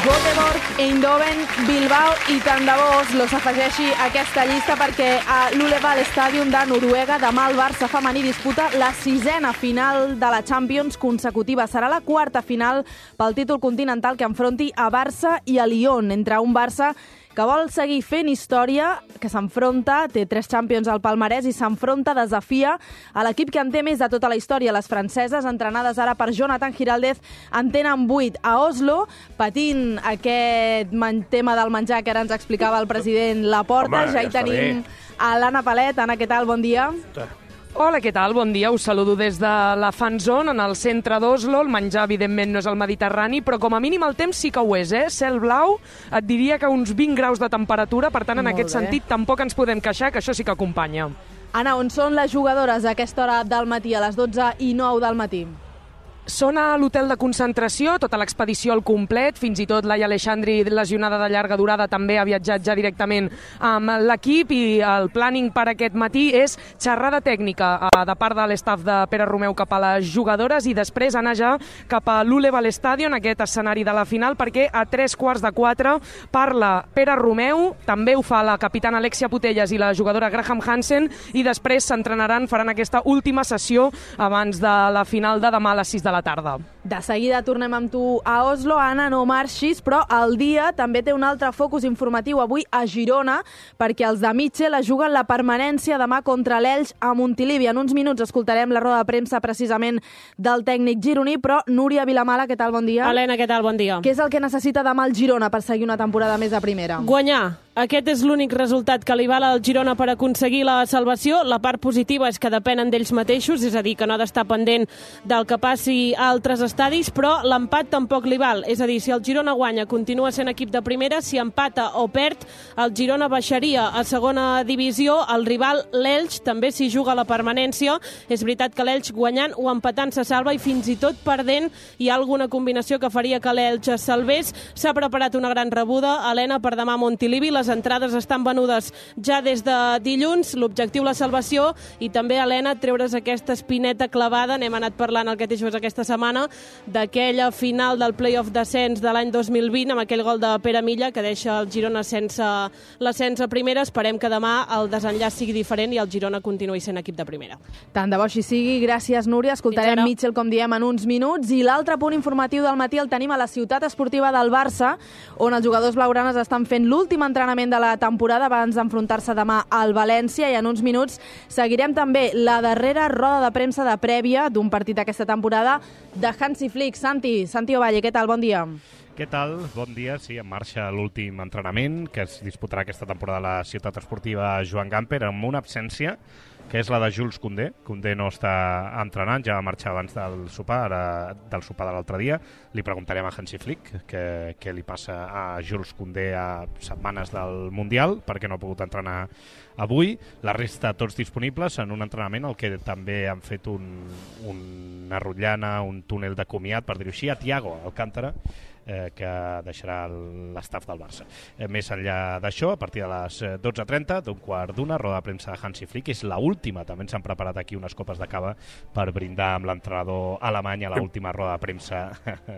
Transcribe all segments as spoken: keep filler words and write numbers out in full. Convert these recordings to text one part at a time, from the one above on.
Göteborg, Eindhoven, Bilbao i tant de bo Oslo s'afegeixi a aquesta llista perquè a l'Uleval Stadium de Noruega demà el Barça femení disputa la sisena final de la Champions consecutiva. Serà la quarta final pel títol continental que enfronti a Barça i a Lyon, entre un Barça que vol seguir fent història, que s'enfronta, té tres Champions al palmarès i s'enfronta, desafia a l'equip que en té més de tota la història. Les franceses, entrenades ara per Jonathan Giraldez, en tenen vuit a Oslo, patint aquest tema del menjar que ara ens explicava el president Laporta. Home, ja hi ja tenim a l'Anna Palet. Anna, què tal? Bon dia. Hola, què tal? Bon dia. Us saludo des de la Fan Zone, en el centre d'Oslo. El menjar, evidentment, no és el Mediterrani, però com a mínim el temps sí que ho és, eh? Cel blau, et diria que uns vint graus de temperatura, per tant, en Molt aquest bé. sentit, tampoc ens podem queixar, que això sí que acompanya. Anna, on són les jugadores a aquesta hora del matí, a les dotze i nou del matí? Són a l'hotel de concentració, tota l'expedició al complet, fins i tot Laia Aleixandri, lesionada de llarga durada, també ha viatjat ja directament amb l'equip, i el planning per aquest matí és xerrada tècnica de part de l'estaf de Pere Romeu cap a les jugadores i després anar ja cap a l'Uleval Stadium, aquest escenari de la final, perquè a tres quarts de quatre parla Pere Romeu, també ho fa la capitana Alexia Putellas i la jugadora Graham Hansen, i després s'entrenaran, faran aquesta última sessió abans de la final de demà a les sis de la tarda. De seguida tornem amb tu a Oslo. Anna, no marxis, però el dia també té un altre focus informatiu avui a Girona, perquè els de Mitchell es juguen la permanència demà contra l'Elx a Montilivi. En uns minuts escoltarem la roda de premsa precisament del tècnic gironí, però Núria Vilamala, què tal? Bon dia. Helena, què tal? Bon dia. Què és el que necessita demà el Girona per seguir una temporada més a primera? Guanyar. Aquest és l'únic resultat que li val al Girona per aconseguir la salvació. La part positiva és que depenen d'ells mateixos, és a dir, que no ha d'estar pendent del que passi a altres estadis, però l'empat tampoc li val. És a dir, si el Girona guanya, continua sent equip de primera, si empata o perd, el Girona baixaria a segona divisió. El rival, l'Elx, també s'hi juga la permanència. És veritat que l'Elx guanyant o empatant se salva, i fins i tot perdent hi ha alguna combinació que faria que l'Elx es salvés. S'ha preparat una gran rebuda, Helena, per demà a Montilivi. Les entrades estan venudes ja des de dilluns. L'objectiu, la salvació, i també, Helena, treure's aquesta espineta clavada. N'hem anat parlant al Cateixos aquesta setmana, d'aquella final del play-off d'ascens de l'any dos mil vint, amb aquell gol de Pere Milla, que deixa el Girona sense l'ascens a primera. Esperem que demà el desenllaç sigui diferent i el Girona continuï sent equip de primera. Tant de bo així sigui. Gràcies, Núria. Escoltarem Mitchell, com diem, en uns minuts. I l'altre punt informatiu del matí el tenim a la ciutat esportiva del Barça, on els jugadors blaugranes estan fent l'últim entrenament de la temporada abans d'enfrontar-se demà al València, i en uns minuts seguirem també la darrera roda de premsa de prèvia d'un partit d'aquesta temporada de Hansi Flick. Santi, Santi Ovalle, què tal? Bon dia. Què tal? Bon dia. Sí, en marxa l'últim entrenament que es disputarà aquesta temporada a la ciutat esportiva Joan Gamper, amb una absència que és la de Jules Koundé. Koundé no està entrenant, ja va marxar abans del sopar, ara, del sopar de l'altre dia. Li preguntarem a Hansi Flick què, què li passa a Jules Koundé a setmanes del Mundial, perquè no ha pogut entrenar avui. La resta tots disponibles en un entrenament al que també han fet un, una rotllana, un túnel de comiat, per dir-ho així, a Thiago Alcántara, Eh, que deixarà l'estaf del Barça. Eh, més enllà d'això, a partir de les dotze trenta, d'un quart d'una, roda de premsa de Hansi Flick, és l'última. També ens han preparat aquí unes copes de cava per brindar amb l'entrenador alemany a l'última roda de premsa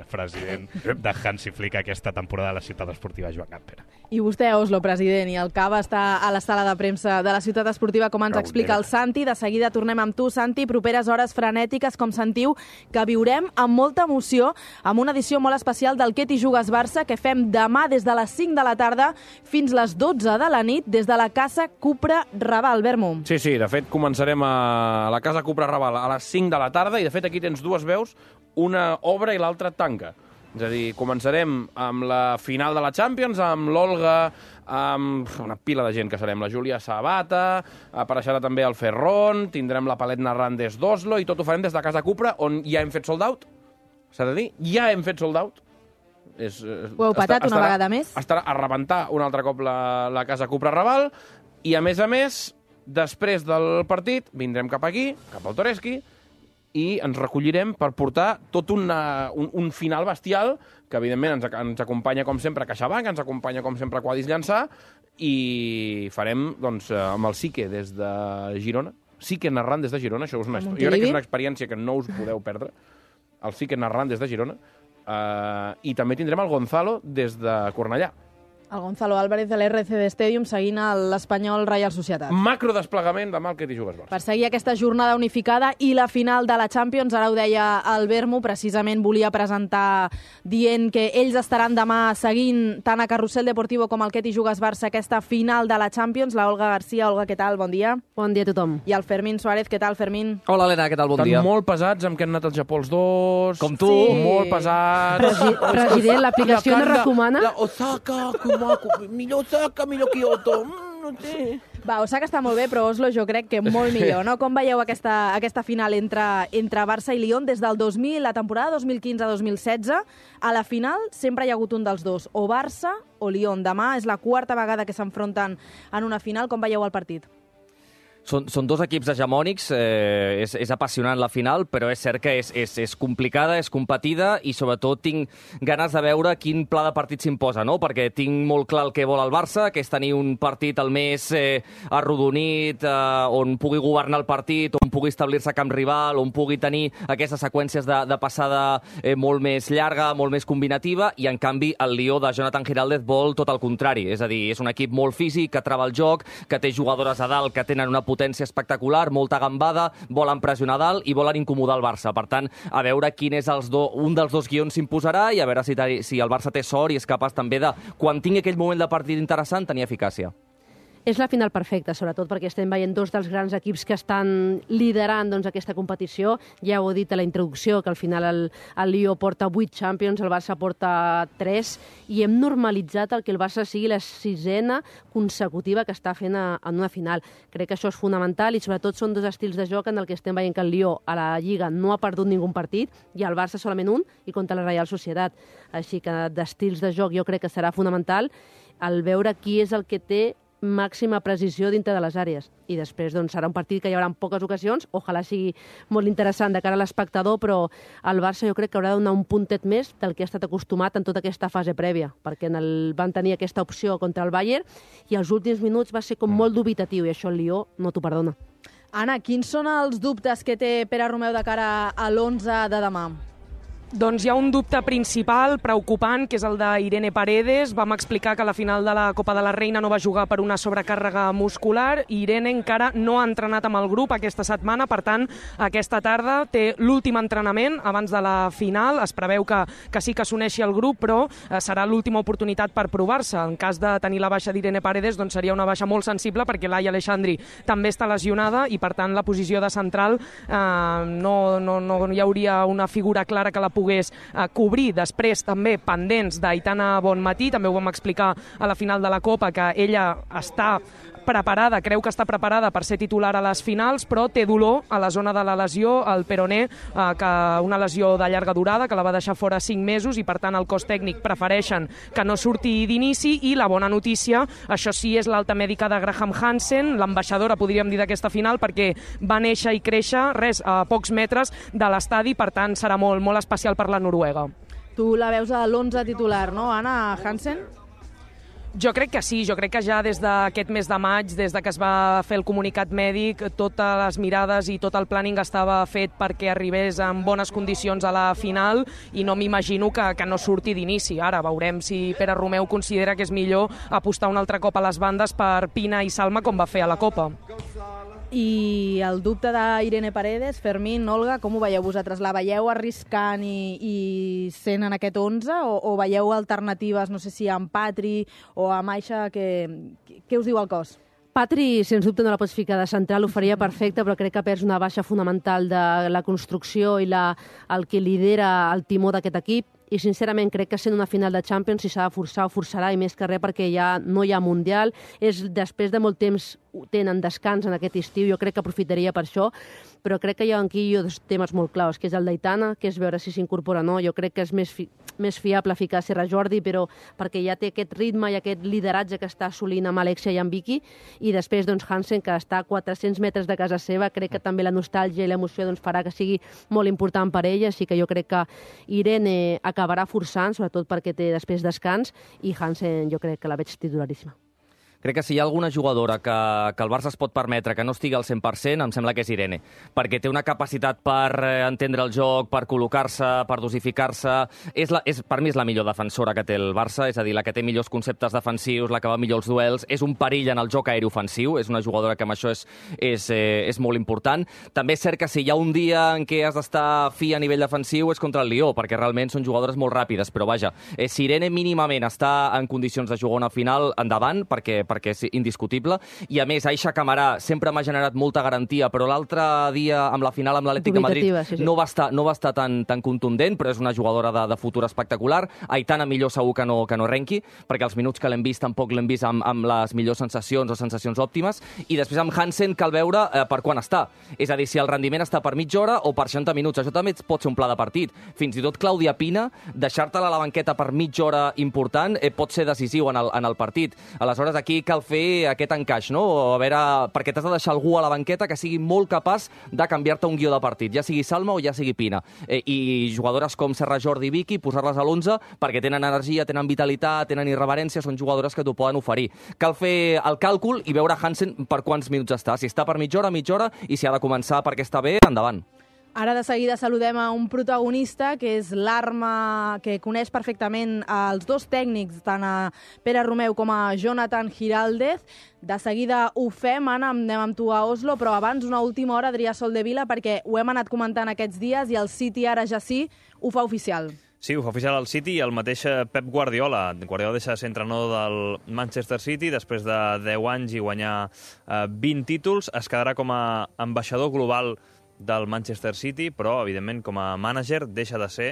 president de Hansi Flick aquesta temporada a la ciutat esportiva Joan Gamper. I vostè, Oslo, president, i el cava està a la sala de premsa de la ciutat esportiva, com ens explica el Santi. De seguida tornem amb tu, Santi. Properes hores frenètiques, com sentiu, que viurem amb molta emoció, amb una edició molt especial del Què t'hi jugues Barça, que fem demà des de les cinc de la tarda fins les dotze de la nit, des de la Casa Cupra Raval. Bermo. Sí, sí, de fet començarem a la Casa Cupra Raval a les cinc de la tarda, i de fet aquí tens dues veus, una obre i l'altra tanca. És a dir, començarem amb la final de la Champions, amb l'Olga, amb una pila de gent que serem, la Júlia Sabata, apareixerà també el Ferron, tindrem la Palet narrant des d'Oslo, i tot ho farem des de Casa Cupra, on ja hem fet sold out, s'ha de dir, ja hem fet sold out. És, ho heu patat una vegada més? Estarà a rebentar un altre cop la, la Casa Cupra Raval, i a més a més, després del partit, vindrem cap aquí, cap al Toreski, i ens recollirem per portar tot una, un, un final bestial, que evidentment ens, ens acompanya com sempre CaixaBank, ens acompanya com sempre Quadis Llançà, i farem doncs, amb el Sique des de Girona, Sique narrant des de Girona, això és una, jo crec que és una experiència que no us podeu perdre, el Sique narrant des de Girona, Uh, I també tindrem el Gonzalo des de Cornellà. El Gonzalo Álvarez de l'R C D Stadium seguint l'Espanyol Reial Societat. Macro desplegament demà al Ketty Jugues Barça. Per seguir aquesta jornada unificada i la final de la Champions, ara ho deia el Bermu, precisament volia presentar dient que ells estaran demà seguint tant a Carrusel Deportivo com al Ketty Jugues Barça aquesta final de la Champions. La Olga Garcia. Olga, què tal? Bon dia. Bon dia a tothom. I el Fermín Suárez. Què tal, Fermín? Hola, Helena, què tal? Bon Estan dia. molt pesats amb que han anat al Japó els dos. Com tu. Sí. Molt pesats. Presi President, l'aplicació no recomana? La Osaka, Kumaku, millor Osaka, millor Kyoto. Mm, no sé. Va, Osaka està molt bé, però Oslo jo crec que molt millor, no? Com veieu aquesta, aquesta final entre, entre Barça i Lyon des del dos mil, la temporada dos mil quinze dos mil setze? A la final sempre hi ha hagut un dels dos, o Barça o Lyon. Demà és la quarta vegada que s'enfronten en una final. Com veieu el partit? Són, són dos equips hegemònics, eh, és, és apassionant la final, però és cert que és, és, és complicada, és competida i sobretot tinc ganes de veure quin pla de partit s'imposa, no? Perquè tinc molt clar el que vol el Barça, que és tenir un partit el més eh, arrodonit, eh, on pugui governar el partit, on pugui establir-se a camp rival, on pugui tenir aquestes seqüències de, de passada eh, molt més llarga, molt més combinativa, i en canvi el Lió de Jonathan Giraldez vol tot el contrari, és a dir, és un equip molt físic, que trava el joc, que té jugadores a dalt que tenen una potència espectacular, molta gambada, volen pressionar dalt i volen incomodar el Barça. Per tant, a veure quin és els do, un dels dos guions s'imposarà i a veure si, si el Barça té sort i és capaç també de, quan tingui aquell moment de partit interessant, tenir eficàcia. És la final perfecta, sobretot perquè estem veient dos dels grans equips que estan liderant doncs, aquesta competició. Ja ho he dit a la introducció, que al final el, el Lió porta vuit Champions, el Barça porta tres, i hem normalitzat el que el Barça sigui la sisena consecutiva que està fent a, en una final. Crec que això és fonamental i sobretot són dos estils de joc en el que estem veient que el Lió a la Lliga no ha perdut ningú partit i el Barça solament un i contra la Reial Societat. Així que d'estils de joc jo crec que serà fonamental el veure qui és el que té màxima precisió dintre de les àrees. I després doncs, serà un partit que hi haurà en poques ocasions, ojalà sigui molt interessant de cara a l'espectador, però el Barça jo crec que haurà de donar un puntet més del que ha estat acostumat en tota aquesta fase prèvia, perquè en el, van tenir aquesta opció contra el Bayern i els últims minuts va ser com molt dubitatiu i això el Lió no t'ho perdona. Anna, quins són els dubtes que té Pere Romeu de cara a l'onze de demà? Doncs hi ha un dubte principal, preocupant, que és el d'Irene Paredes. Vam explicar que a la final de la Copa de la Reina no va jugar per una sobrecàrrega muscular i Irene encara no ha entrenat amb el grup aquesta setmana, per tant, aquesta tarda té l'últim entrenament abans de la final. Es preveu que, que sí que s'uneixi al grup, però eh, serà l'última oportunitat per provar-se. En cas de tenir la baixa d'Irene Paredes, doncs seria una baixa molt sensible perquè Laia Aleixandri també està lesionada i, per tant, la posició de central eh, no, no, no hi hauria una figura clara que la pogués eh, cobrir. Després també pendents d'Aitana Bonmatí, també ho vam explicar a la final de la Copa, que ella està preparada, creu que està preparada per ser titular a les finals, però té dolor a la zona de la lesió, al peroné, eh, que una lesió de llarga durada, que la va deixar fora cinc mesos, i per tant el cos tècnic prefereixen que no surti d'inici. I la bona notícia, això sí, és l'alta mèdica de Graham Hansen, l'ambaixadora, podríem dir, d'aquesta final, perquè va néixer i créixer res a pocs metres de l'estadi, per tant serà molt, molt especial per la Noruega. Tu la veus a l'onze titular, no, Anna Hansen? Jo crec que sí, jo crec que ja des d'aquest mes de maig, des de que es va fer el comunicat mèdic, totes les mirades i tot el planning estava fet perquè arribés en bones condicions a la final i no m'imagino que, que no surti d'inici. Ara veurem si Pere Romeu considera que és millor apostar un altre cop a les bandes per Pina i Salma com va fer a la Copa. I el dubte d'Irene Paredes, Fermín, Olga, com ho veieu vosaltres? La veieu arriscant i, i sent en aquest onze o, o veieu alternatives, no sé si amb Patri o amb Aixa? Què us diu el cos? Patri, sens dubte, no la pots ficar de central, ho faria perfecte, però crec que perds una baixa fonamental de la construcció i la, el que lidera el timó d'aquest equip. I sincerament crec que sent una final de Champions, si s'ha de forçar, ho forçarà, i més que res perquè ja no hi ha Mundial. És després de molt temps tenen descans en aquest estiu, jo crec que aprofitaria per això, però crec que hi ha aquí dos temes molt claus, que és el d'Aitana, que és veure si s'incorpora o no. Jo crec que és més, fi més fiable ficar Serra Jordi, però perquè ja té aquest ritme i aquest lideratge que està assolint amb Alexia i amb Vicky, i després doncs, Hansen, que està a quatre-cents metres de casa seva, crec que també la nostàlgia i l'emoció doncs, farà que sigui molt important per ella, així que jo crec que Irene acabarà forçant, sobretot perquè té després descans, i Hansen jo crec que la veig titularíssima. crec que si hi ha alguna jugadora que, que el Barça es pot permetre que no estigui al cent per cent, em sembla que és Irene, perquè té una capacitat per entendre el joc, per col·locar-se, per dosificar-se. És la, és, per mi és la millor defensora que té el Barça, és a dir, la que té millors conceptes defensius, la que va millor els duels, és un perill en el joc aeri ofensiu, és una jugadora que amb això és, és, eh, és molt important. També és cert que si hi ha un dia en què has d'estar fi a nivell defensiu és contra el Lió, perquè realment són jugadores molt ràpides, però vaja, eh, si Irene mínimament està en condicions de jugar una final, endavant, perquè perquè és indiscutible, i a més Aisha Camarà sempre m'ha generat molta garantia, però l'altre dia amb la final amb l'Atlètic de Madrid sí, sí. no va estar, no va estar tan, tan contundent, però és una jugadora de, de futur espectacular. Aitana millor segur que no, que no renqui, perquè els minuts que l'hem vist tampoc l'hem vist amb, amb les millors sensacions o sensacions òptimes, i després amb Hansen cal veure eh, per quan està, és a dir, si el rendiment està per mitja hora o per seixanta minuts, això també pot ser un pla de partit. Fins i tot Clàudia Pina, deixar-te-la a la banqueta per mitja hora important eh, pot ser decisiu en el, en el partit. Aleshores, aquí cal fer aquest encaix, no? A veure, perquè t'has de deixar algú a la banqueta que sigui molt capaç de canviar-te un guió de partit, ja sigui Salma o ja sigui Pina. Eh, I jugadores com Serra Jordi i Vicky, posar-les a l'onze, perquè tenen energia, tenen vitalitat, tenen irreverència, són jugadores que t'ho poden oferir. Cal fer el càlcul i veure Hansen per quants minuts està. Si està per mitja hora, mitja hora, i si ha de començar perquè està bé, endavant. Ara de seguida saludem a un protagonista que és l'Arma, que coneix perfectament els dos tècnics, tant a Pere Romeu com a Jonathan Giraldez. De seguida ho fem, Anna, anem amb tu a Oslo, però abans una última hora, Adrià Soldevila, perquè ho hem anat comentant aquests dies i el City ara ja sí ho fa oficial. Sí, ho fa oficial el City i el mateix Pep Guardiola. Guardiola deixa de ser entrenador del Manchester City després de deu anys i guanyar eh, vint títols. Es quedarà com a ambaixador global del Manchester City, però, evidentment, com a mànager, deixa de ser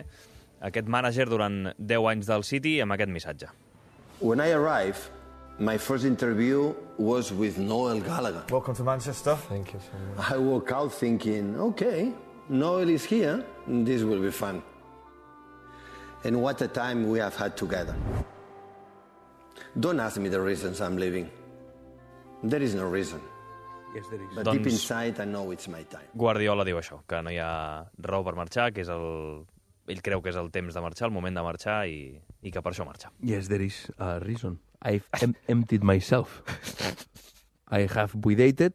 aquest mànager durant deu anys del City amb aquest missatge. When I arrived, my first interview was with Noel Gallagher. Welcome to Manchester. Thank you so much. I woke out thinking, okay, Noel is here, this will be fun. And what a time we have had together. Don't ask me the reasons I'm leaving. There is no reason. Yes, there is. But doncs, deep inside, I know it's my time. Guardiola diu això, que no hi ha raó per marxar, que és el... ell creu que és el temps de marxar, el moment de marxar, i, i que per això marxa. Yes, there is a reason. I've em emptied myself. I have buidated.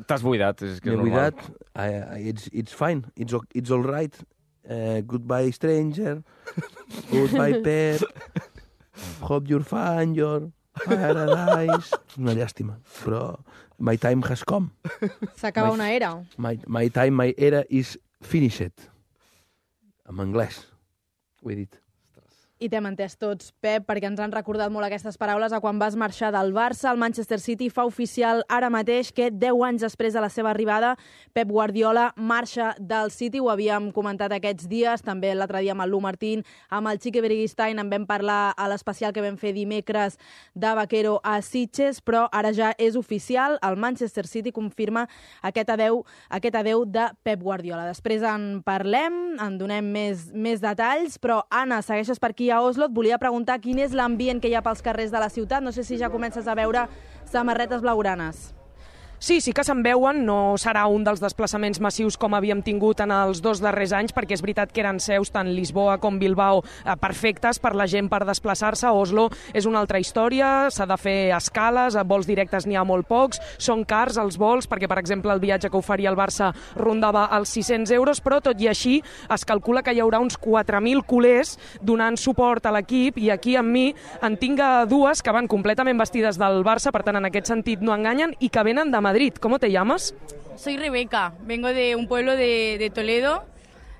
T'has buidat, és que és normal. buidat. I, I, it's, it's fine. It's, it's all right. Uh, goodbye, stranger. Goodbye, pet. Hope you're fine, your paradise. Una llàstima, però my time has come. S'acaba una era. My, my time, my era is finished. En anglès, ho he dit. I t'hem entès tots, Pep, perquè ens han recordat molt aquestes paraules a quan vas marxar del Barça. El Manchester City fa oficial ara mateix que deu anys després de la seva arribada, Pep Guardiola marxa del City. Ho havíem comentat aquests dies, també l'altre dia amb el Lu Martín, amb el Chiqui Beriguistain, en vam parlar a l'especial que vam fer dimecres de Vaquero a Sitges, però ara ja és oficial. El Manchester City confirma aquest adeu, aquest adeu de Pep Guardiola. Després en parlem, en donem més, més detalls, però Anna, segueixes per aquí a Oslo. Et volia preguntar quin és l'ambient que hi ha pels carrers de la ciutat. No sé si ja comences a veure samarretes blaugranes. Sí, sí que se'n veuen, no serà un dels desplaçaments massius com havíem tingut en els dos darrers anys, perquè és veritat que eren seus tant Lisboa com Bilbao eh, perfectes per la gent per desplaçar-se. Oslo és una altra història, s'ha de fer escales, a vols directes n'hi ha molt pocs, són cars els vols, perquè per exemple el viatge que oferia el Barça rondava els sis-cents euros, però tot i així es calcula que hi haurà uns quatre mil culers donant suport a l'equip, i aquí amb mi en tinc dues que van completament vestides del Barça, per tant en aquest sentit no enganyen, i que venen de Madrid. ¿Cómo te llamas? Soy Rebeca, vengo de un pueblo de, de Toledo,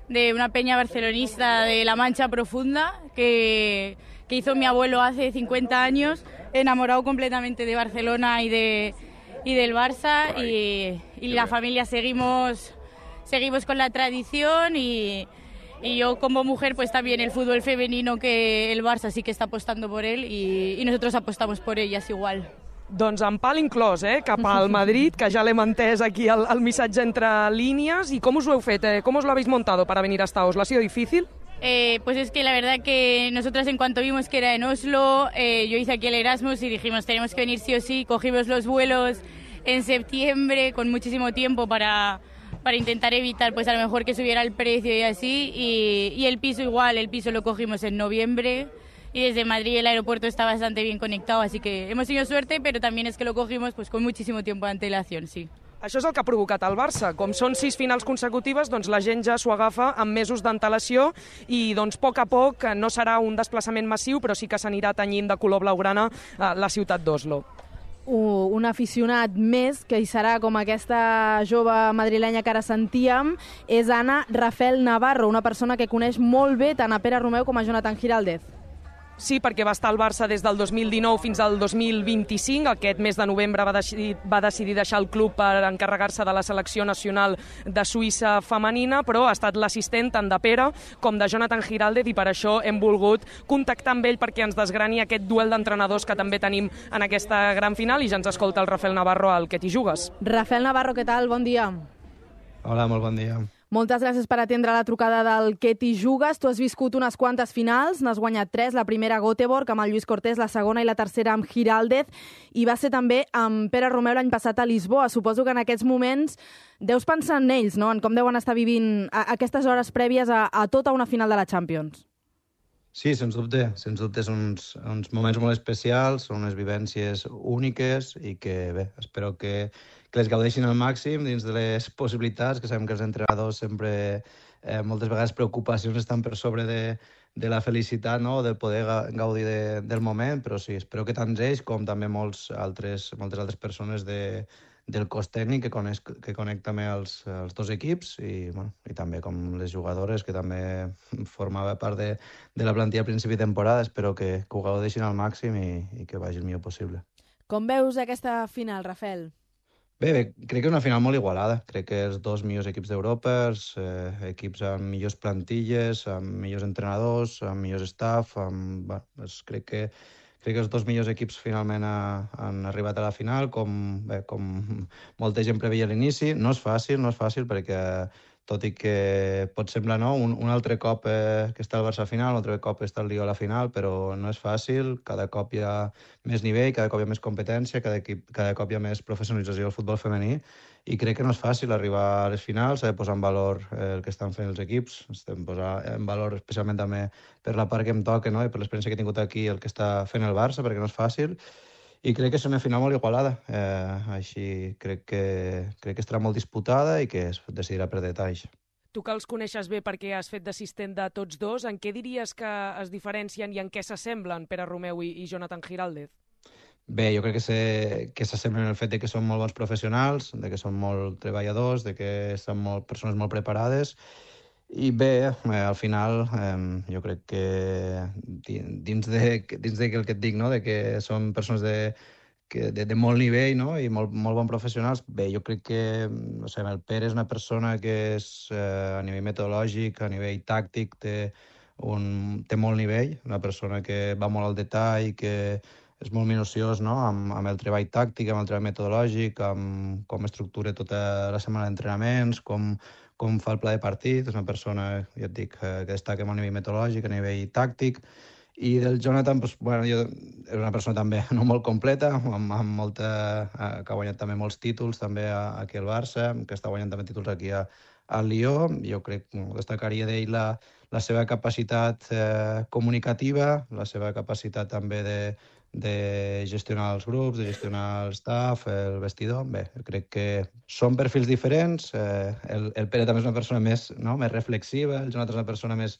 de una peña barcelonista de la Mancha Profunda que, que hizo mi abuelo hace cincuenta años, enamorado completamente de Barcelona y, de, y del Barça, y, y la familia seguimos, seguimos con la tradición, y, y yo como mujer pues también el fútbol femenino, que el Barça sí que está apostando por él, y, y nosotros apostamos por ellas igual. Doncs amb pal inclòs, eh? Cap al Madrid, que ja l'hem entès aquí el, el missatge entre línies. I com us ho heu fet? Eh? Com us lo habéis montado para venir hasta Oslo? ¿Ha sido difícil? Eh, pues es que la verdad que nosotras en cuanto vimos que era en Oslo, eh, yo hice aquí el Erasmus y dijimos tenemos que venir sí o sí. Cogimos los vuelos en septiembre con muchísimo tiempo para, para intentar evitar pues a lo mejor que subiera el precio y así. Y, y el piso igual, el piso lo cogimos en noviembre. y desde Madrid el aeropuerto está bastante bien conectado, así que hemos tenido suerte, pero también es que lo cogimos pues con muchísimo tiempo de antelación, sí. Això és el que ha provocat el Barça. Com són sis finals consecutives, doncs la gent ja s'ho agafa amb mesos d'antelació i doncs, a poc a poc no serà un desplaçament massiu, però sí que s'anirà tenyint de color blaugrana la ciutat d'Oslo. Un aficionat més, que hi serà com aquesta jove madrilenya que ara sentíem, és Anna Rafael Navarro, una persona que coneix molt bé tant a Pere Romeu com a Jonathan Giraldez. Sí, perquè va estar al Barça des del dos mil dinou fins al dos mil vint-i-cinc. Aquest mes de novembre va decidir, va decidir deixar el club per encarregar-se de la selecció nacional de Suïssa femenina, però ha estat l'assistent tant de Pere com de Jonathan Giraldez i per això hem volgut contactar amb ell perquè ens desgrani aquest duel d'entrenadors que també tenim en aquesta gran final i ja ens escolta el Rafael Navarro, al Que t'hi jugues. Rafael Navarro, què tal? Bon dia. Hola, molt bon dia. Moltes gràcies per atendre la trucada del Que t'hi jugues. Tu has viscut unes quantes finals, n'has guanyat tres, la primera a Göteborg amb el Lluís Cortés, la segona i la tercera amb Giraldez, i va ser també amb Pere Romeu l'any passat a Lisboa. Suposo que en aquests moments deus pensar en ells, no? En com deuen estar vivint aquestes hores prèvies a, a tota una final de la Champions. Sí, sens dubte. Sens dubte són uns, uns moments molt especials, són unes vivències úniques i que, bé, espero que, que les gaudeixin al màxim dins de les possibilitats, que sabem que els entrenadors sempre, eh, moltes vegades preocupacions estan per sobre de, de la felicitat, no?, de poder gaudir de, del moment, però sí, espero que tant ells com també molts altres, moltes altres persones de, del cos tècnic que coneix, que conec també els, els dos equips i, bueno, i també com les jugadores que també formava part de, de la plantilla a principi de temporada. Espero que, que ho gaudeixin al màxim i, i que vagi el millor possible. Com veus aquesta final, Rafael? Bé, bé, crec que és una final molt igualada. Crec que els dos millors equips d'Europa, eh, equips amb millors plantilles, amb millors entrenadors, amb millors staff, amb, bueno, és, crec que Crec que els dos millors equips finalment ha, han arribat a la final, com, bé, com molta gent preveia a l'inici. No és fàcil, no és fàcil, perquè tot i que pot semblar no, un, un altre cop eh, que està el Barça a la final, un altre cop està el Lió a la final, però no és fàcil. Cada cop hi ha més nivell, cada cop hi ha més competència, cada, equip, cada cop hi ha més professionalització del futbol femení, i crec que no és fàcil arribar a les finals, s'ha de posar en valor eh, el que estan fent els equips, estem posant en valor especialment també per la part que em toca, no?, i per l'experiència que he tingut aquí el que està fent el Barça, perquè no és fàcil, i crec que és una final molt igualada. Eh, així crec que, crec que estarà molt disputada i que es decidirà per detalls. Tu que els coneixes bé perquè has fet d'assistent de tots dos, en què diries que es diferencien i en què s'assemblen Pere Romeu i, i Jonathan Giraldez? Bé, jo crec que s'assemblen en el fet de que són molt bons professionals, de que són molt treballadors, de que són molt, persones molt preparades. I bé, eh, al final, eh, jo crec que dins de, dins de el que et dic, no?, de que són persones de, que, de, de molt nivell, no?, i molt, molt bons professionals, bé, jo crec que no sé, el Pere és una persona que és, eh, a nivell metodològic, a nivell tàctic, té, un, té molt nivell, una persona que va molt al detall, que és molt minuciós, no?, amb, amb el treball tàctic, amb el treball metodològic, amb com estructura tota la setmana d'entrenaments, com, com fa el pla de partit. És una persona, ja et dic, que destaca a nivell metodològic, a nivell tàctic. I del Jonathan, doncs, bueno, jo, és una persona també no molt completa, amb, amb molta, que ha guanyat també molts títols també aquí al Barça, que està guanyant també títols aquí a, al Lió. Jo crec que destacaria d'ell la, la seva capacitat eh, comunicativa, la seva capacitat també de de gestionar els grups, de gestionar el staff, el vestidor. Bé, crec que són perfils diferents. Eh, el, el Pere també és una persona més, no?, més reflexiva, el Jonathan és una persona més,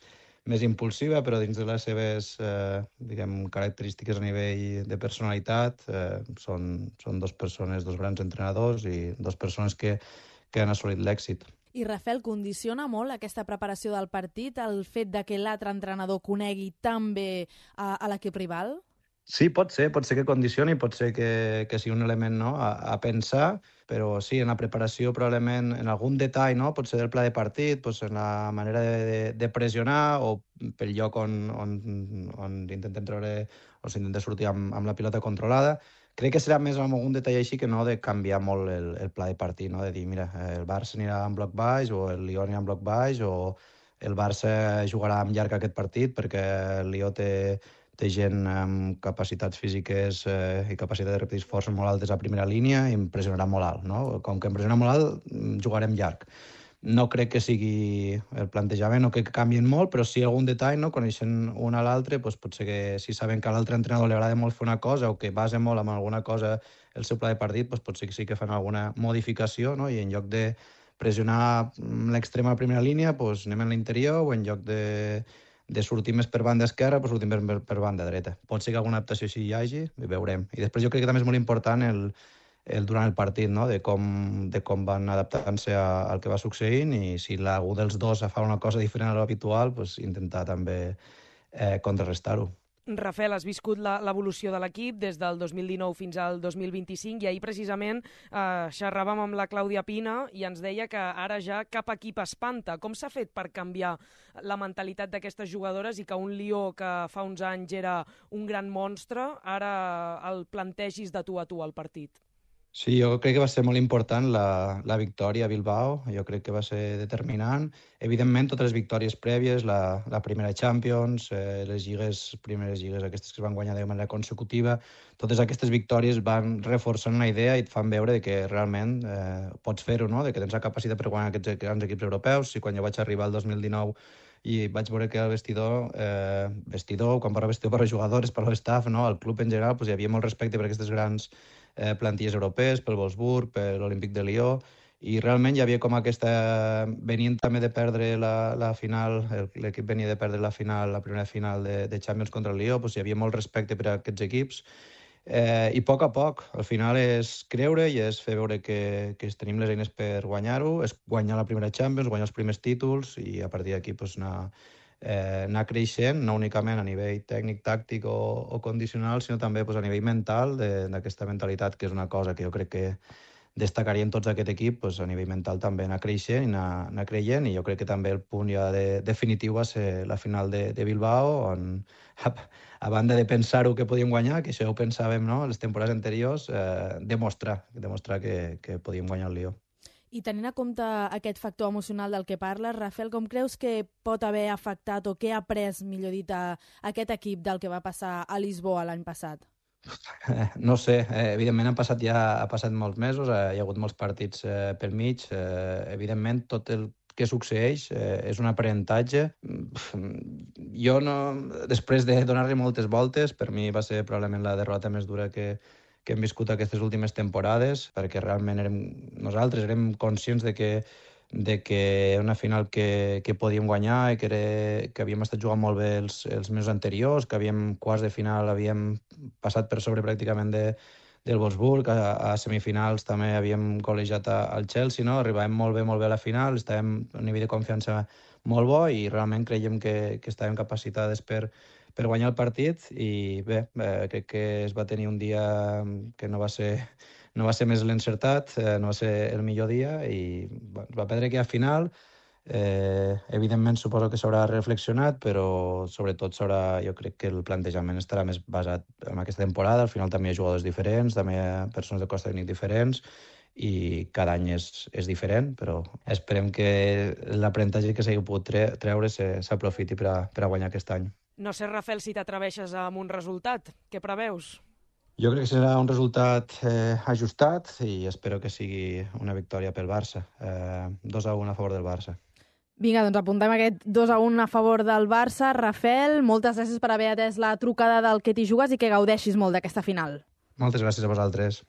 més impulsiva, però dins de les seves eh, diguem, característiques a nivell de personalitat eh, són, són dos persones, dos grans entrenadors i dos persones que, que han assolit l'èxit. I, Rafael, condiciona molt aquesta preparació del partit el fet de que l'altre entrenador conegui tan bé a, a l'equip rival? Sí, pot ser, pot ser que condicioni, pot ser que, que sigui un element, no?, a, a pensar, però sí, en la preparació probablement en algun detall, no?, pot ser del pla de partit, doncs en la manera de, de, de pressionar o pel lloc on, on, on intentem treure o s'intenta sortir amb, amb la pilota controlada. Crec que serà més en algun detall així que no de canviar molt el, el pla de partit, no?, de dir, mira, el Barça anirà en bloc baix o el Lió anirà en bloc baix o el Barça jugarà amb llarg aquest partit perquè el Lió té té gent amb capacitats físiques eh, i capacitat de repetir forces molt altes a primera línia i em pressionarà molt alt, no? Com que em pressiona molt alt, jugarem llarg. no crec que sigui el plantejament, no crec que canvien molt, però sí algun detall, no? Coneixent un a l'altre, doncs potser que si saben que a l'altre entrenador li agrada molt fer una cosa o que basa molt en alguna cosa el seu pla de partit, doncs potser que sí que fan alguna modificació, no? I en lloc de pressionar l'extrema primera línia, doncs anem en l'interior, o en lloc de, de sortir més per banda esquerra, doncs sortim per, per banda dreta. Pot ser que alguna adaptació així hi hagi, i veurem. I després jo crec que també és molt important el, el durant el partit, no? de, com, de com van adaptant-se al que va succeint, i si algú dels dos fa una cosa diferent a l'habitual, doncs intentar també eh, contrarrestar-ho. Rafael, has viscut l'evolució de l'equip des del dos mil dinou fins al dos mil vint-i-cinc i ahir precisament eh, xerràvem amb la Clàudia Pina i ens deia que ara ja cap equip espanta. Com s'ha fet per canviar la mentalitat d'aquestes jugadores i que un Lió que fa uns anys era un gran monstre, ara el plantegis de tu a tu al partit? Sí, jo crec que va ser molt important la, la victòria a Bilbao, jo crec que va ser determinant. Evidentment, totes les victòries prèvies, la, la primera Champions, eh, les lligues, primeres lligues aquestes que es van guanyar de manera consecutiva, totes aquestes victòries van reforçant una idea i et fan veure de que realment eh, pots fer-ho, no? De que tens la capacitat per guanyar aquests grans equips europeus. I quan jo vaig arribar al dos mil dinou i vaig veure que el vestidor, eh, vestidor, quan parlo vestidor per als jugadors, per l'estaff, no? El club en general, doncs, hi havia molt respecte per aquestes grans eh, plantilles europees, pel Wolfsburg, per l'Olímpic de Lió, i realment hi havia com aquesta... Venien també de perdre la, la final, l'equip venia de perdre la final, la primera final de, de Champions contra el Lió, doncs hi havia molt respecte per a aquests equips, eh, i a poc a poc, al final és creure i és fer veure que, que tenim les eines per guanyar-ho, és guanyar la primera Champions, guanyar els primers títols, i a partir d'aquí doncs, anar... Eh, anar creixent, no únicament a nivell tècnic, tàctic o, o condicional, sinó també pues, a nivell mental, d'aquesta mentalitat, que és una cosa que jo crec que destacarien tots aquest equip, pues, a nivell mental també anar creixent i anar, anar creient, i jo crec que també el punt ja de, definitiu va ser la final de, de Bilbao, on a, a banda de pensar-ho que podíem guanyar, que això ho pensàvem, no?, les temporades anteriors, eh, demostrar, demostrar que, que podíem guanyar el Lió. I tenint en compte aquest factor emocional del que parles, Rafael, com creus que pot haver afectat o què ha après, millor dit, a aquest equip del que va passar a Lisboa l'any passat? Eh, no sé, eh, evidentment han passat ja ha passat molts mesos, eh, hi ha hagut molts partits eh, pel mig, eh, evidentment tot el que succeeix eh, és un aprenentatge. Jo no, després de donar-li moltes voltes, per mi va ser probablement la derrota més dura que que hem viscut aquestes últimes temporades, perquè realment érem, nosaltres érem conscients de que, de que era una final que, que podíem guanyar i que, era, que havíem estat jugant molt bé els, els mesos anteriors, que havíem quarts de final, havíem passat per sobre pràcticament de, del Wolfsburg, a, a semifinals també havíem col·legiat al Chelsea, no? Arribàvem molt bé, molt bé a la final, estàvem a un nivell de confiança molt bo i realment creiem que, que estàvem capacitades per per guanyar el partit, i bé, eh, crec que es va tenir un dia que no va ser, no va ser més l'encertat, eh, no va ser el millor dia, i bueno, es va perdre aquella final. Eh, evidentment suposo que s'haurà reflexionat, però sobretot s'haurà, jo crec que el plantejament estarà més basat en aquesta temporada. Al final també hi ha jugadors diferents, també hi ha persones de cos tècnic diferents, i cada any és, és diferent, però esperem que l'aprenentatge que s'hagi pogut tre treure s'aprofiti per, a, per a guanyar aquest any. No sé, Rafael, si t'atreveixes amb un resultat. Què preveus? Jo crec que serà un resultat eh, ajustat i espero que sigui una victòria pel Barça. Eh, dos a un a favor del Barça. Vinga, doncs apuntem aquest dos a un a favor del Barça. Rafael, moltes gràcies per haver atès la trucada del Que t'hi jugues i que gaudeixis molt d'aquesta final. Moltes gràcies a vosaltres.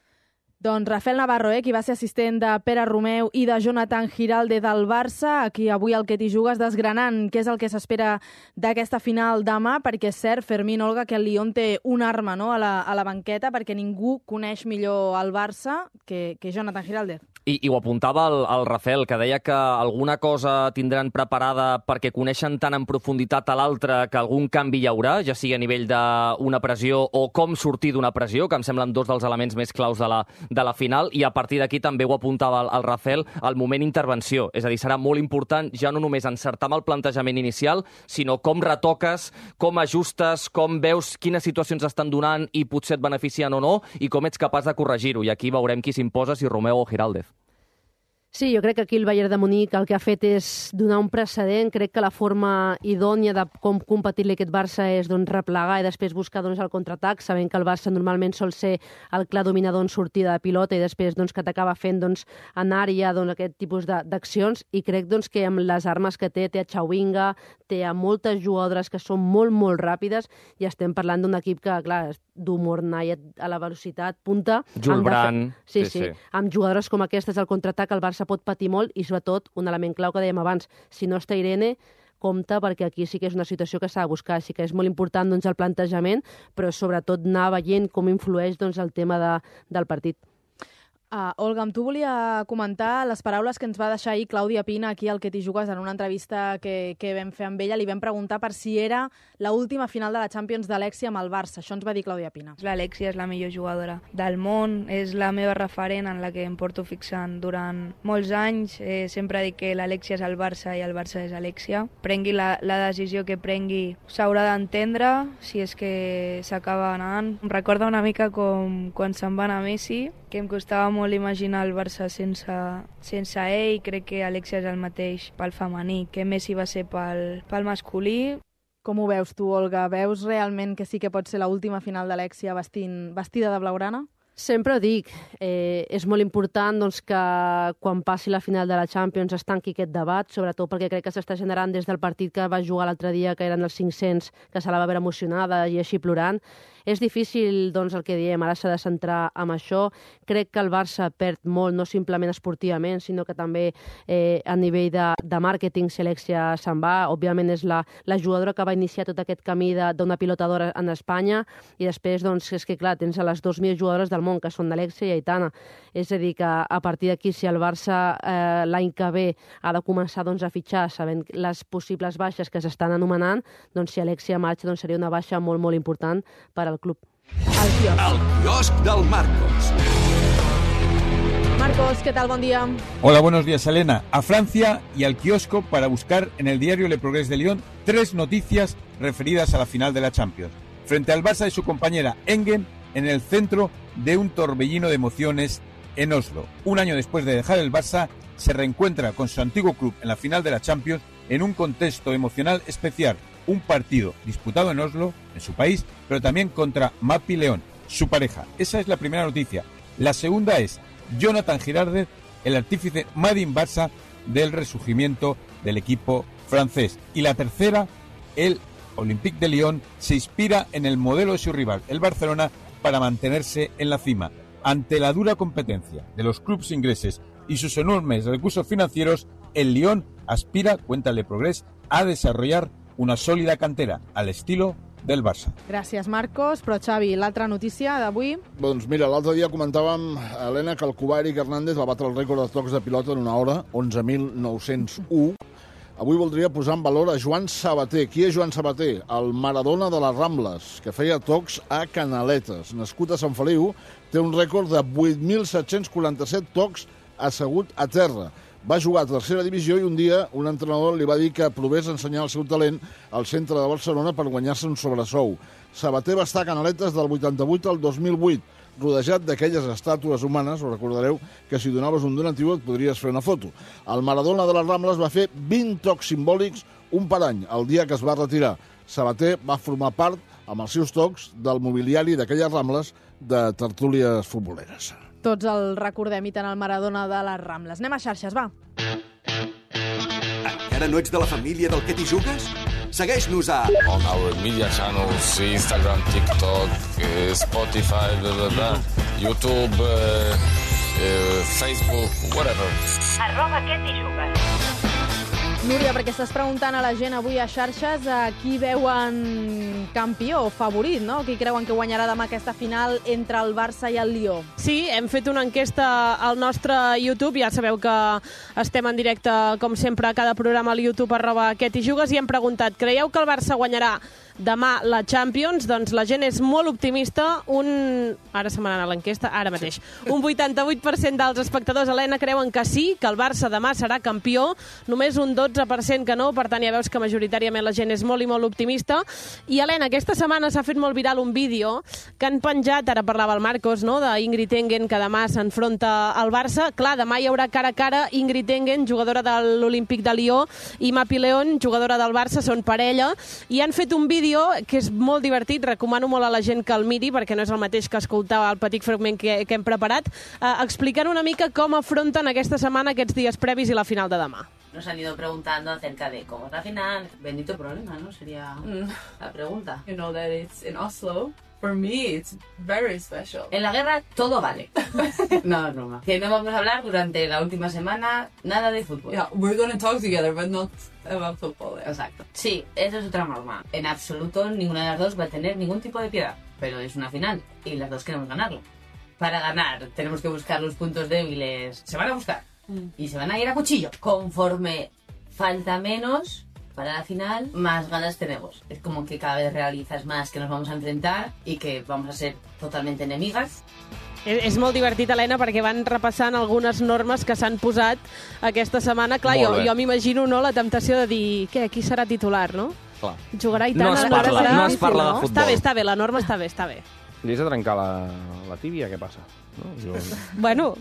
Doncs Rafael Navarro, eh, qui va ser assistent de Pere Romeu i de Jonathan Giralde del Barça, aquí avui al Que t'hi jugues desgranant què és el que s'espera d'aquesta final demà, perquè és cert, Fermín, Olga, que el Lyon té una arma, no?, a la, a la banqueta, perquè ningú coneix millor el Barça que, que Jonathan Giralde. I, I ho apuntava el, el Rafael, que deia que alguna cosa tindran preparada perquè coneixen tan en profunditat a l'altre que algun canvi hi haurà, ja sigui a nivell d'una pressió o com sortir d'una pressió, que em semblen dos dels elements més claus de la, de la final, i a partir d'aquí també ho apuntava el, el Rafael, el moment intervenció. És a dir, serà molt important ja no només encertar amb el plantejament inicial, sinó com retoques, com ajustes, com veus quines situacions estan donant i potser et beneficien o no, i com ets capaç de corregir-ho. I aquí veurem qui s'imposa, si Romeu o Giraldez. Sí, jo crec que aquí el Bayern de Munic el que ha fet és donar un precedent. Crec que la forma idònia de com competir-li aquest Barça és doncs, replegar i després buscar doncs, el contraatac, sabent que el Barça normalment sol ser el clar dominador en sortida de pilota i després doncs, que t'acaba fent doncs, en àrea doncs, aquest tipus d'accions, i crec doncs, que amb les armes que té, té a Chawinga, té a moltes jugadores que són molt, molt ràpides, i estem parlant d'un equip que, clar, d'humor nai a la velocitat punta. Jules Brand. Sí, sí, sí. Amb jugadores com aquestes al contraatac el Barça pot patir molt i, sobretot, un element clau que dèiem abans, si no està Irene, compte, perquè aquí sí que és una situació que s'ha de buscar. Sí que és molt important doncs, el plantejament, però sobretot anar veient com influeix doncs, el tema de, del partit. Uh, Olga, amb tu volia comentar les paraules que ens va deixar ahir Clàudia Pina aquí al Que t'hi jugues en una entrevista que, que vam fer amb ella. Li vam preguntar per si era l'última final de la Champions d'Alexia amb el Barça. Això ens va dir Clàudia Pina. L'Alexia és la millor jugadora del món, és la meva referent en la que em porto fixant durant molts anys. Eh, sempre dic que l'Alexia és el Barça i el Barça és Alexia. Prengui la, la decisió que prengui, s'haurà d'entendre si és que s'acaba anant. Em recorda una mica com quan se'n va anar Messi, que em costava molt imaginar el Barça sense, sense ell. Crec que Alexia és el mateix pel femení, que Messi va ser pel, pel masculí. Com ho veus tu, Olga? Veus realment que sí que pot ser l'última final d'Alexia vestida de blaugrana? Sempre ho dic, eh, és molt important doncs, que quan passi la final de la Champions es tanqui aquest debat, sobretot perquè crec que s'està generant des del partit que va jugar l'altre dia, que eren els cinc-cents, que se la va veure emocionada i així plorant. És difícil, doncs, el que diem, ara s'ha de centrar en això. Crec que el Barça perd molt, no simplement esportivament, sinó que també eh, a nivell de, de màrqueting, si Alexia se'n va. Òbviament és la, la jugadora que va iniciar tot aquest camí d'una pilotadora en Espanya, i després, doncs, és que clar, tens a les dues mil jugadores del món, que són Alexia i Aitana. És a dir, que a partir d'aquí, si el Barça eh, l'any que ve ha de començar doncs, a fitxar, sabent les possibles baixes que s'estan anomenant, doncs si Alexia marxa doncs, seria una baixa molt, molt important per al club. El quiosc. El quiosc del Marcos. Marcos, ¿qué tal? Buen día. Hola, buenos días, Elena. A Francia y al kiosco para buscar en el diario Le Progrès de Lyon tres noticias referidas a la final de la Champions. Frente al Barça y su compañera Engen en el centro de un torbellino de emociones en Oslo. Un año después de dejar el Barça, se reencuentra con su antiguo club en la final de la Champions en un contexto emocional especial. Un partido disputado en Oslo, en su país, pero también contra Mapi León, su pareja. Esa es la primera noticia. La segunda es Jonathan Girardez, el artífice Made in Barça del resurgimiento del equipo francés. Y la tercera, el Olympique de Lyon se inspira en el modelo de su rival, el Barcelona, para mantenerse en la cima. Ante la dura competencia de los clubes ingleses y sus enormes recursos financieros, el Lyon aspira, cuenta Le Progrès, a desarrollar una sòlida cantera, a l'estilo del Barça. Gràcies, Marcos. Però, Xavi, l'altra notícia d'avui? Doncs mira, l'altre dia comentàvem, Helena, que el cubà Eric Hernández va batre el rècord de tocs de pilota en una hora, onze mil nou-cents u. Avui voldria posar en valor a Joan Sabater. Qui és Joan Sabater? El Maradona de les Rambles, que feia tocs a Canaletes. Nascut a Sant Feliu, té un rècord de vuit mil set-cents quaranta-set tocs assegut a terra. Va jugar a tercera divisió i un dia un entrenador li va dir que provés ensenyar el seu talent al centre de Barcelona per guanyar-se un sobresou. Sabater va estar a Canaletes del vuitanta-vuit al dos mil vuit, rodejat d'aquelles estàtues humanes, ho recordareu, que si donaves un donatiu et podries fer una foto. El Maradona de les Rambles va fer vint tocs simbòlics, un per any, el dia que es va retirar. Sabater va formar part, amb els seus tocs, del mobiliari d'aquelles Rambles de tertúlies futboleres. Tots el recordem i tant el Maradona de les Rambles. Anem a xarxes, va. Encara no ets de la família del Que t'hi jugues? Segueix-nos a... On our media channels, Instagram, TikTok, eh, Spotify, blah, blah, blah, YouTube, eh, eh, Facebook, whatever. Arroba Que t'hi jugues. Núria, perquè estàs preguntant a la gent avui a xarxes a qui veuen campió, favorit, no? Qui creuen que guanyarà demà aquesta final entre el Barça i el Lió? Sí, hem fet una enquesta al nostre YouTube, ja sabeu que estem en directe, com sempre, a cada programa al YouTube, arroba Que t'hi jugues, i hem preguntat, creieu que el Barça guanyarà demà la Champions, doncs la gent és molt optimista. Un... Ara se m'ha anat l'enquesta, ara mateix. Un vuitanta-vuit per cent dels espectadors, Helena, creuen que sí, que el Barça demà serà campió. Només un dotze per cent que no, per tant ja veus que majoritàriament la gent és molt i molt optimista. I, Helena, aquesta setmana s'ha fet molt viral un vídeo que han penjat, ara parlava el Marcos, no?, d'Ingrid Engen, que demà s'enfronta al Barça. Clar, demà hi haurà cara a cara Ingrid Engen, jugadora de l'Olímpic de Lió, i Mapi León, jugadora del Barça, són parella, i han fet un vídeo que és molt divertit, recomano molt a la gent que el miri, perquè no és el mateix que escoltar el petit fragment que, que hem preparat, eh, explicant una mica com afronten aquesta setmana, aquests dies previs i la final de demà. Nos han ido preguntando acerca de cómo es la final. Bendito problema, ¿no? Sería la pregunta. You know that it's in Oslo. For me, it's very special. En la guerra todo vale. No, es broma. Que no vamos a hablar durante la última semana nada de fútbol. Yeah, we're going to talk together, but not about football. Yeah. Exacto. Sí, eso es otra norma. En absoluto ninguna de las dos va a tener ningún tipo de piedad. Pero es una final y las dos queremos ganarlo. Para ganar tenemos que buscar los puntos débiles. Se van a buscar. Mm. Y se van a ir a cuchillo. Conforme falta menos para la final, más ganas tenemos. Es como que cada vez realizas más que nos vamos a enfrentar y que vamos a ser totalmente enemigas. És, és molt divertit, Helena, perquè van repassant algunes normes que s'han posat aquesta setmana. Clar, jo, jo m'imagino, no, la temptació de dir, què, qui serà titular, no? Clar. Jugarà i tant. No es parla, no es parla de futbol. Està bé, està bé, la norma està bé, està bé. Li has de trencar la, la tíbia, què passa? No? Jo... Bueno...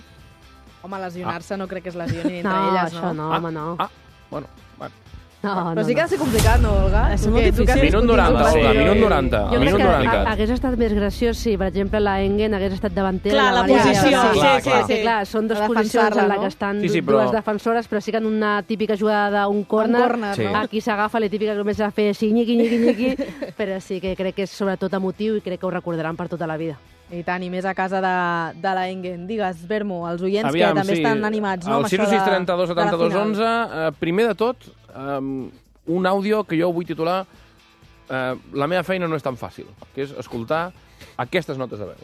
Home, lesionar-se no crec que es lesionin entre no, elles, no? no? Això no, home, no. Ah, bueno, bueno. No, Però no, sí que no. ha de ser complicat, no, Olga? És molt difícil. Minut noranta, Olga, minut noranta. Jo crec minut que noranta. hagués estat més graciós si, per exemple, la Engen hagués estat davantera. Clar, la Maria posició. Garcia. Sí, clar, sí, clar. sí. Que, clar, són dues A posicions en defensar-la, la no? que estan Sí, sí, però- dues defensores, però sí que en una típica jugada d'un córner, córner, Sí. no? aquí s'agafa la típica que comença a fer així, nyiqui, nyiqui, nyiqui, però sí que crec que és sobretot emotiu i crec que ho recordaran per tota la vida. I tant, i més a casa de, de la Engen. Digues, Bermo, els oients Aviam, que també sí. estan animats, no? El sis sis trenta-dos setanta-dos onze, eh, primer de tot, um, un àudio que jo vull titular eh, La meva feina no és tan fàcil, que és escoltar aquestes notes de veu.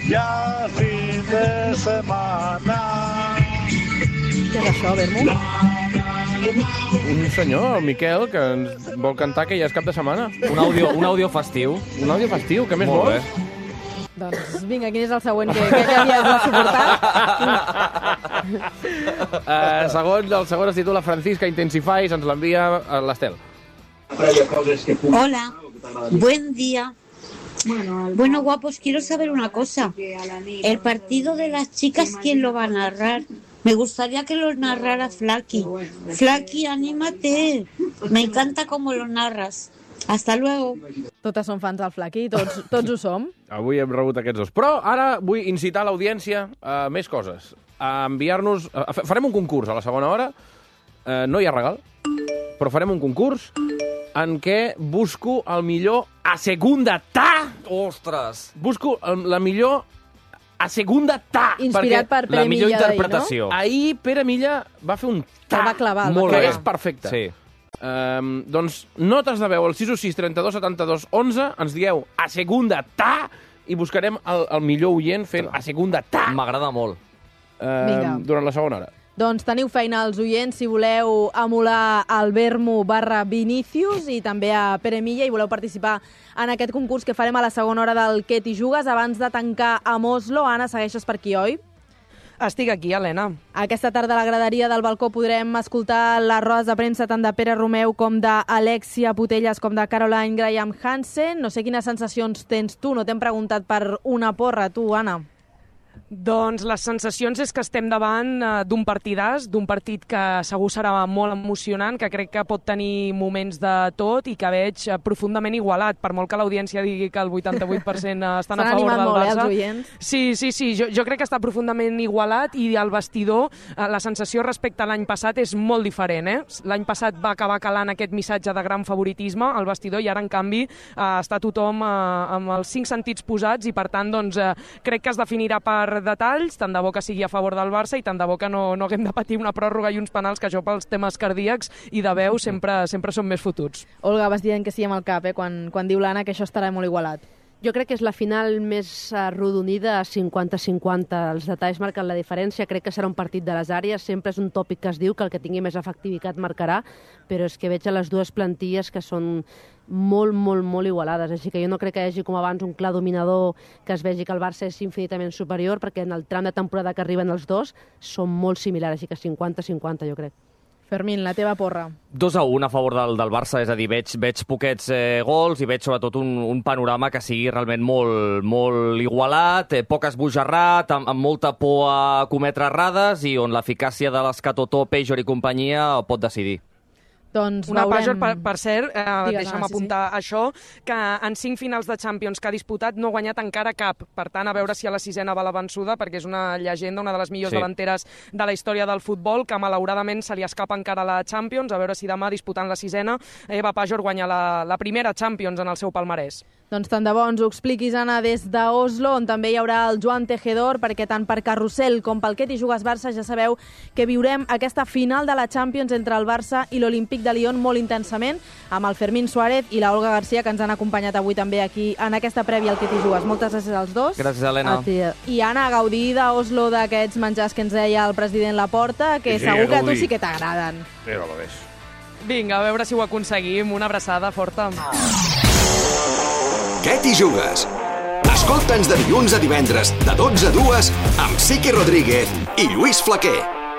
Ya fin de semana. Què és això, Bermo? Un senyor, el Miquel, que ens vol cantar que ja és cap de setmana. Un àudio, un àudio festiu. Un àudio festiu, què més Molt vols? bé. Doncs vinga, quin és el següent que, que, que havies de suportar? Uh, segon, el segon es titula Francisca Intensify, se'ns l'envia a l'Estel. Hola, buen día. Bueno, guapos, quiero saber una cosa. El partido de las chicas, ¿quién lo va a narrar? Me gustaría que lo narrara Flaky. Flaky, anímate. Me encanta cómo lo narras. Hasta luego. Totes són fans del Flaky, tots, tots ho som. Avui hem rebut aquests dos. Però ara vull incitar l'audiència a més coses. A enviar-nos... a- a- Farem un concurs a la segona hora. Eh, no hi ha regal, però farem un concurs en què busco el millor a segunda ta. Ostres! Busco el, la millor a segunda ta. Inspirat per Pere La millor Milla d'ahir, interpretació. Ahir Pere Milla va fer un ta. El va clavar, el va Molt clavar. que és perfecte. Sí. Um, doncs notes de veu al sis sis trenta-dos setanta-dos onze, ens dieu a segunda ta i buscarem el, el millor oient fent a segunda ta. M'agrada molt. Vinga. Um, durant la segona hora. Doncs teniu feina als oients si voleu emular el Bermo barra Vinícius i també a Pere Milla i voleu participar en aquest concurs que farem a la segona hora del Què t'hi jugues abans de tancar amb Oslo. Anna, segueixes per aquí, oi? Estic aquí, Helena. Aquesta tarda a la graderia del balcó podrem escoltar les rodes de premsa tant de Pere Romeu com d'Alexia Putelles com de Caroline Graham Hansen. No sé quines sensacions tens tu, no t'hem preguntat per una porra, tu, Anna. Doncs les sensacions és que estem davant eh, d'un partidàs, d'un partit que segur serà molt emocionant, que crec que pot tenir moments de tot i que veig eh, profundament igualat, per molt que l'audiència digui que el vuitanta-vuit per cent estan a favor del molt, Barça. Eh, els oients. Sí, sí, sí, jo, jo crec que està profundament igualat i al vestidor eh, la sensació respecte a l'any passat és molt diferent. Eh? L'any passat va acabar calant aquest missatge de gran favoritisme al vestidor i ara, en canvi, eh, està tothom eh, amb els cinc sentits posats i, per tant, doncs, eh, crec que es definirà per per detalls, tant de bo que sigui a favor del Barça i tant de bo que no, no haguem de patir una pròrroga i uns penals, que això pels temes cardíacs i de veu sempre, sempre són més fotuts. Olga, vas dient que sí amb el cap, eh? quan, quan diu l'Anna que això estarà molt igualat. Jo crec que és la final més arrodonida a cinquanta cinquanta. Els detalls marquen la diferència. Crec que serà un partit de les àrees. Sempre és un tòpic que es diu que el que tingui més efectivitat marcarà, però és que veig a les dues plantilles que són molt, molt, molt igualades. Així que jo no crec que hi hagi com abans un clar dominador que es vegi que el Barça és infinitament superior, perquè en el tram de temporada que arriben els dos són molt similars, així que cinquanta cinquanta jo crec. Fermín, la teva porra. dos a un a favor del, del Barça, és a dir, veig, veig poquets eh, gols i veig sobretot un, un panorama que sigui realment molt, molt igualat, eh, poc esbojarrat, amb, amb molta por a cometre errades i on l'eficàcia de l'Escatotó, Pejor i companyia pot decidir. Doncs Una veurem... Pajor, per, per cert, eh, Digues, deixa'm ah, sí, apuntar sí. això, que en cinc finals de Champions que ha disputat no ha guanyat encara cap. Per tant, a veure si a la sisena va la vençuda, perquè és una llegenda, una de les millors Sí. delanteres de la història del futbol, que malauradament se li escapa encara la Champions. A veure si demà, disputant la sisena, Eva Pajor guanya la, la primera Champions en el seu palmarès. Doncs tant de bo ens ho expliquis, Anna, des d'Oslo, on també hi haurà el Joan Tejedor, perquè tant per Carrusel com pel Que t'hi jugues Barça ja sabeu que viurem aquesta final de la Champions entre el Barça i l'Olímpic de Lyon molt intensament, amb el Fermín Suárez i la Olga Garcia, que ens han acompanyat avui també aquí en aquesta prèvia al Que t'hi jugues. Moltes gràcies als dos. Gràcies, Helena. I Anna, gaudir d'Oslo d'aquests menjars que ens deia el president Laporta, que Sí, segur que a tu gaudir. sí que t'agraden. Però lo ves. Vinga, a veure si ho aconseguim. Una abraçada forta. Què t'hi jugues? Escolta'ns de dilluns a divendres, de dotze a dues, amb Sique Rodríguez i Lluís Flaquer.